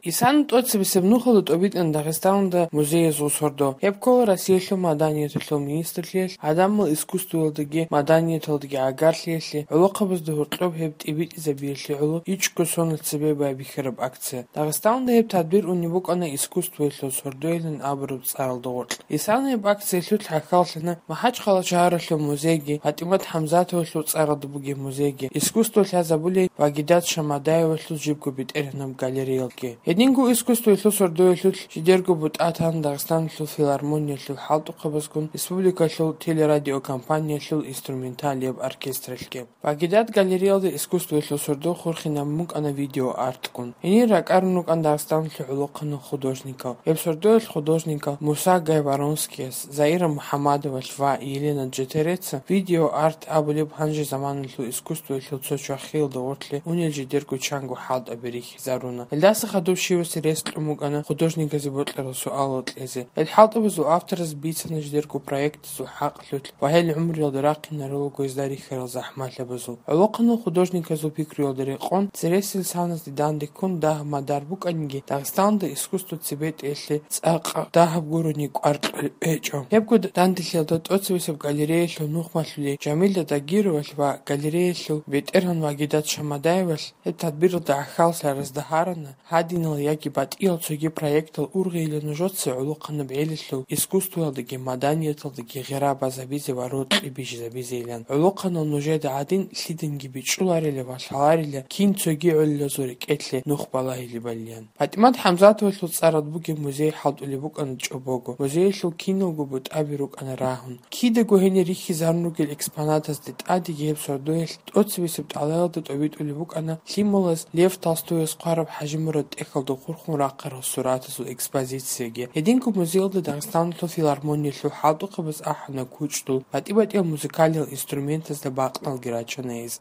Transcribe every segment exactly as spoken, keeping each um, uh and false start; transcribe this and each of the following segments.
Исана тӀоцебесеб нухалда тӀобитӀана Дагъистаналда музеязул сордо. Гьеб ккола Россиялъул маданияталъул министрлъиялъ, гӀадамал искусствоялдаги маданияталдаги гӀагарлъиялъе, гӀолохъабазда гьоркьоб гьеб тӀибитӀизабиялъе гӀоло ичӀго соналъ цебе байбихьараб акция. Дагъистаналда гьеб тадбир унеб букӀана искусствоялъул сордоялин абураб цӀаралда гъоркь. Исана гьеб акциялъулъ гӀахьаллъана МахӀачхъала шагьаралъул музейги, ПатӀимат ХӀамзатовалъул цӀаралда бугеб музейги, искусство лъазабулей Вагидат Шамадаевалъул жибго бетӀергьанаб галереялги. Гьединго искусствоялъул сордоялъулъ жидерго бутӀа тана Дагъистаналъул филармониялъул хӀалтӀухъабазгун республикалъул телерадиокомпаниялъул инструменталияб оркестралъги. Вагидат галереялда искусствоялъул сордо хурхинабун букӀана видеоартгун. Гьенир ракӀарун рукӀана Дагъистаналъул гӀолохъанал художникал. Гьеб сордоялъ художникал Муса Гайворонскияс, Заира МухӀаммадовалъ ва Елена Джетереца видеоарт абулеб гьанже заманалъул искусствоялъул цо чвахиялда гъоркье унел жидерго чанго хӀалтӀаби рихьизаруна. Гьелдаса хадуб щивасе рес кьун букӀана художниказе бокьарал суалал кьезе. Гьел хӀалтӀабазул автораз бицана жидерго проектазул хӀакъалъулъ ва гьел гӀумруялда рахъинарал руго гьезда рихьарал захӀмалъабазул. ГӀолохъанал художниказул пикруялда рекъон, цересел саназде данде ккун дагь-мадар букӀаниги, Дагъистаналда искусство цебетӀеялъе цӀакъ дагьаб гурони кӀвар кьолеб гьечӀо. Гьебго данделъиялда тӀоцебесеб галереялъул нухмалъулей Жамилат Дагировалъ ва галереялъул бетӀергьан Вагидат Шамадаевалъ гьеб тадбиралда гӀахьаллъаразда гьарана, гьадинал яги батӀиял цоги проектал ургъейилан нужеца гӀолохъанаб гӀелалъул искусствоялдаги маданияталдаги гъира базабизе ва рокьи бижизабизейилан. ГӀолохъанал нужеда гӀадин лъиданги бичӀчӀуларила ва лъаларила, кин цоги гӀолилазул рекӀелъе нух балагьилебалилан. ПатӀимат ХӀамзатовалъул цӀаралда бугеб музей хӀалтӀулеб букӀана чӀобого. Музеялъул киналго бутӀаби рукӀана рагьун. Кидаго гьенир рихьизарун ругел экспонатазде тӀадеги гьеб сордоялъ тӀоцебесеб тӀалаялда тӀобитӀулеб букӀана лъималаз Лев Толстояс хъвараб ХӀажимурад тӀехьалда хурхун рахъарал суратазул экспозицияги. Гьединго музеялда Дагъистаналъул филармониялъул хӀалтӀухъабаз ахӀана кучӀдул, батӀи-батӀиял музыкалиял инструментазда бакъналги рачана гьез.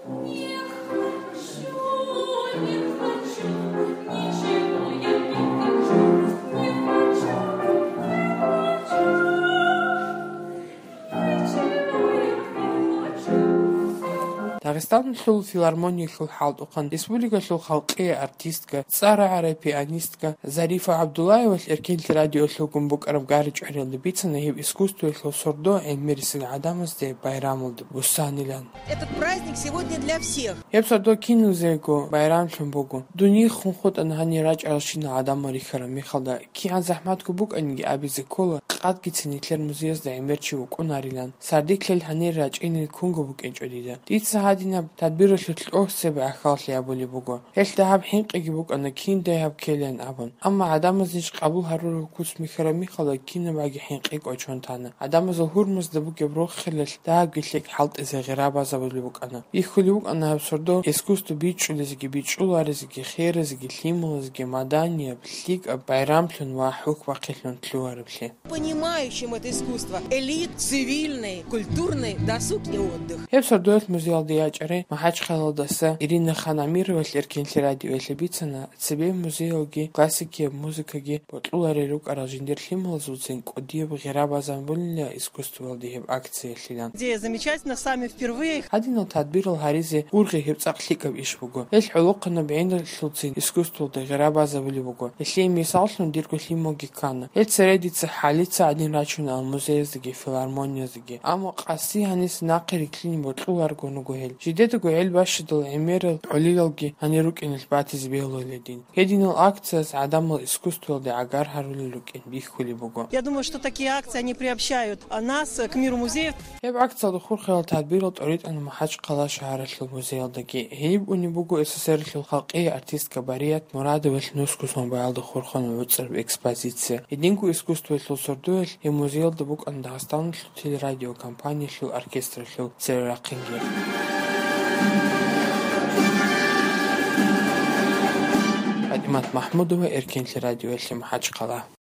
Дагъистаналъул филармониялъул хӀалтӀухъан республикалъул халкъиял артистка, цӀар рагӀарай пианистка Зарифа ГӀабдуллаевалъ Эркенлъи радиоялъулгун букӀараб гьаричӀариялда бицана гьеб искусствоялъул сордо гӀемерисел гӀадамазде байрамалда буссанилан. Этот праздник сегодня для всех. Гьеб сордо киназего байрамлъун буго. Дунихъ хутӀана гьанир рачӀаралщинал гӀадамал рихьараб мехалда, кигӀан захӀматго букӀаниги абизе ккола, къадгицин нилъер музеязда гӀемер чи вукӀунарилан. Сардилъ гьанир рачӀинел кунго букӀинчӀо дида. Дица гьадинаб тадбиралъулъ тӀоцебе гӀахьаллъи гьабулеб буго. Гьелъ дагьаб хӀинкъиги букӀана, кин дагьаб ккелин абун. Амма гӀадамаз ниж къабул гьарураб куц михьараб мехалда кинабаги хӀинкъи кӀочон тана. ГӀадамазул гьурмазда бугеб рохелалъ дагьабги лъикӀ хӀалтӀизе гъира базабулеб букӀана. Бихьулеб букӀана гьаб сордо искусство бичӀчӀулезеги, бичӀчӀуларезеги, херезеги, лъималазеги, маданияб, лъикӀаб, байрамлъун ва хӀухьбахъилъун лъугьараблъи. Понимающим это искусство, элит, цивильный, культурный, досуг и отдых. Гьеб сордоялъ музеялда ячӀарай МахӀачхъалалдаса Ирина Ханамировалъ Эркенлъи радиоялъе бицана, цебе музеялги, классикияб музыкаги бокьуларел рукӀарал жиндир лъималазулцин кӀудияб гъира базабулила искусствоялде гьеб акциялъилан. Идея замечательна, сами впервые. Гьадинал тадбирал гьаризе ургъи гьеб цӀакъ лъикӀаб иш буго. Гьелъ гӀолохъанаб гӀелалъулцин искусствоялде гъира базабулеб буго. Гьелъие мисаллъун дирго лъималги ккана. Гьел цере дица хӀалица гӀадин рачуна музеяздаги филармонияздаги. Амма къаси гьаниса нахъе рилълъине бокьуларгун руго гьел. Жидедаго гӀел бащадал гӀемерал гӀолилалги гьанир рукӀиналъ батизе бегьуларила дин. Гьединал акцияс гӀадамал искусствоялде гӀагар гьарулел рукӀин бихьулеб буго. Я думаю, что такие акции, они приобщают, а, нас к миру музеев. Гьеб акциялда хурхарал тадбирал тӀоритӀана МахӀачхъала шагьаралъул музеялдаги. Гьениб унеб буго СССР-алъул халкъиял артистка Барият Мурадовалъ нусго сон баялда хурхун гӀуцӀараб экспозиция. Гьединго искусствоялъул сордоялъ гьеб музеялда букӀана Дагъистаналъул телерадиокомпаниялъул оркестралъул церерахъинги. ПатӀимат Махмудова, Эркенлъи радиоялъе, МахӀачхъала.